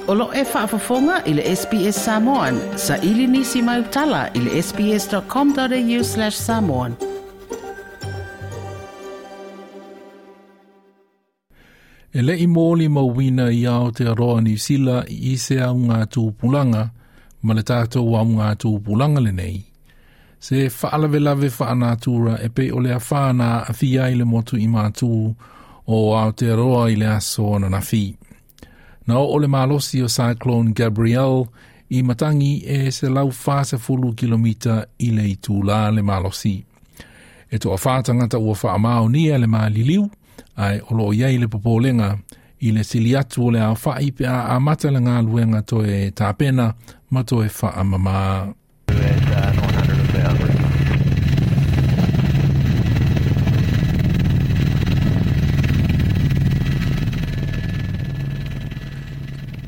O lo e faafofoga i le SBS Samoan. Sa ili nisi mai utala i le sbs.com.au/samoan. E le i mōli mauina i Aotearoa Niu Sila i se au ngā tūpulanga ma le tātou au ngā tūpulanga lenei. Se whaalavelave whaanatura e pe o le awhana a fia i le motu i mātū o Aotearoa i le aso ananafi. Na o le malosi o Cyclone Gabrielle i matangi e se lau 40 kilomita i le itula le malosi. E toa whātangata ua whaamao nia le maliliu, ai o lo iai le popolenga i le sili atu o le au whai pe a amata le ngā luenga toe tāpena ma toe whaamama. At 900,000.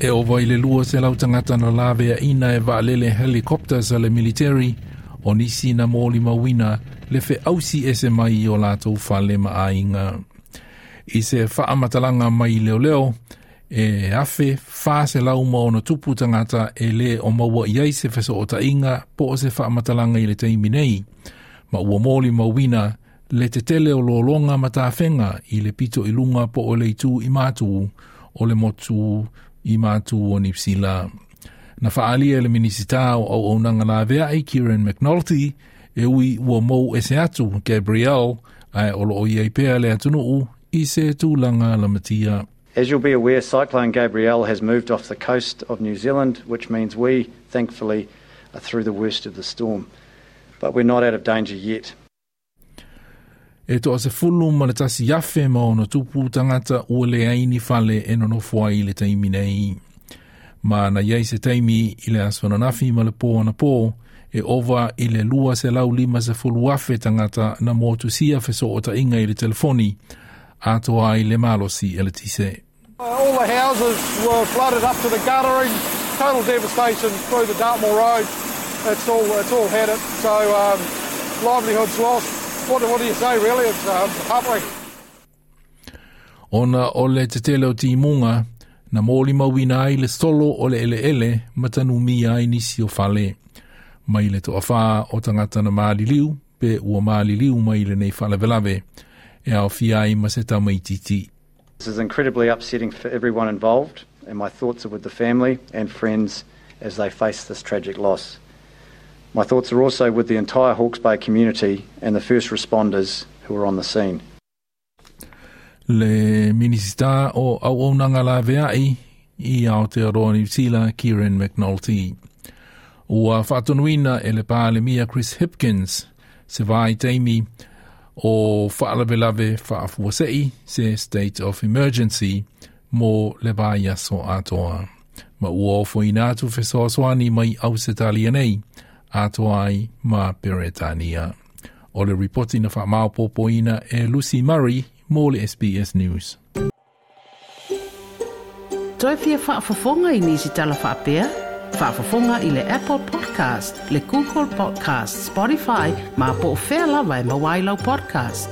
E ova i le lua se lau tangata na lave a ina e vaalele helicopters a le military o nisi na mōli mauina le fe ausi ese mai o lātou fale ma ainga. I se whaamatalanga mai leo leo, e afe wha se lau ma ono tupu tangata e le o maua i ai se feso o tainga po o se whaamatalanga i le taimi nei. Ma ua mōli mauina le te tele o lolonga matawhenga i le pito i lunga po o le itu i mātu o le motu i mātu o Nipsila. Na whaalia le minisita o au aunanga la veai Kieran McNulty e ui ua mou ese atu Gabrielle ai o lo o iai pea le atunuu i se tūlanga lamatia. As you'll be aware, Cyclone Gabrielle has moved off the coast of New Zealand, which means we, thankfully, are through the worst of the storm. But we're not out of danger yet. E toa se fulu ma le tasi afe ma ono tupu tangata ua le aini fale e nonofo ai le taimi nei. Ma na iai se taimi i le aso ananafi ma le pō anapō, e ova i le 250 afe tangata na motusia feso o tainga i le telefoni, atoa ai le malosi e le tise. All the houses were flooded up to the guttering, total devastation through the Dartmoor Road. It's all had it, so livelihoods lost. What do you say really? It's heartbreaking. Ona o le tetele o timunga, na mōli mauina ai le solo o le ele ele matanu mia ai nisi o fale. Mai le toa wha o tangata na maliliu, pe ua maliliu mai le nei whalavelave, e au fia ai ma se tamaititi. This is incredibly upsetting for everyone involved, and my thoughts are with the family and friends as they face this tragic loss. My thoughts are also with the entire Hawke's Bay community and the first responders who were on the scene. Le minisita o auaunanga la veai i Aotearoa Niu Sila Kieran McNulty. Ua whaatonuina e le pālemia Chris Hipkins se vai taimi o whaalavelave whaafuasei se state of emergency mo le vai aso atoa. Ma ua ofo ina atu fesoasoani mai au se talia nei atoa ai ma Peretania. O le ripoti na whaamaupopoina e Lucy Murray mō le SBS News. Toi fia faafofoga i nisi tala faapea? Faafofoga i le Apple Podcast, le Google Podcast, Spotify, ma po o fea lava e maua ai lau podcast.